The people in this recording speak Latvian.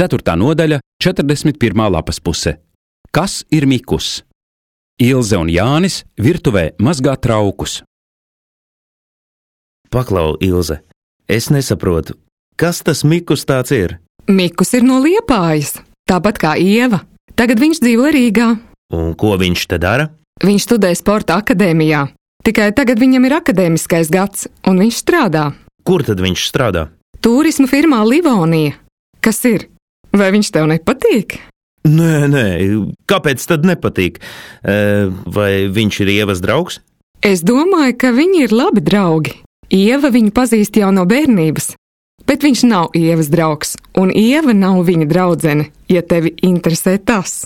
4. nodaļa, 41. lapas puse. Kas ir mikus? Ilze un Jānis virtuvē mazgā traukus. Paklau, Ilze, es nesaprotu, kas tas mikus tāds ir? Mikus ir no Liepājas, tāpat kā Ieva. Tagad viņš dzīvo Rīgā. Un ko viņš te dara? Viņš studē sporta akadēmijā. Tikai tagad viņam ir akadēmiskais gads, un viņš strādā. Kur tad viņš strādā? Turisma firmā Livonija. Kas ir? Vai viņš tev nepatīk? Nē, kāpēc tad nepatīk? Vai viņš ir Ievas draugs? Es domāju, ka viņi ir labi draugi. Ieva viņu pazīst jau no bērnības, bet viņš nav Ievas draugs, un Ieva nav viņa draudzene, ja tevi interesē tas.